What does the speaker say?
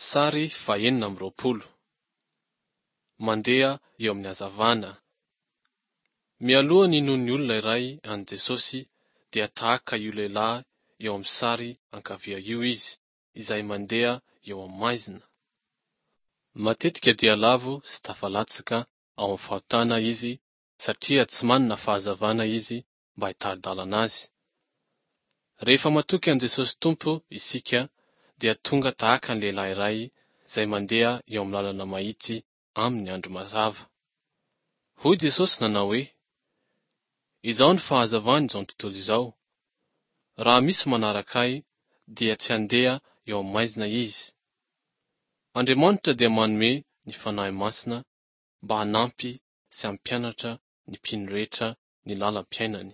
Sary fahenina amby 20. Mandeha eo amin'ny hazavana. Mialoha ny hinoan'ny olona iray an'i Jesosy dia tahaka io lehilahy eo amin'ny sary ankavia io izy, izay mandeha eo amin'ny maizina. Matetika dia lavo sy tafalatsaka ao amin'ny fahotana izy satria tsy manana fahazavana izy mba hitari-dalana azy. Rehefa matoky an'i Jesosy Tompo isika dia tonga tahaka ny lehilahy iray izay mandeha eo amin'ny lalana mahitsy amin'ny andro mazava. Hoy Jesosy nanao hoe, Izao ny fahazavan'izao tontolo izao. Raha misy manaraka Ahy dia tsy handeha eo amin'ny maizina izy. Andriamanitra dia manome ny Fanahy Masina mba hanampy sy hampianatra ny mpino rehetra ny lalam-piainany.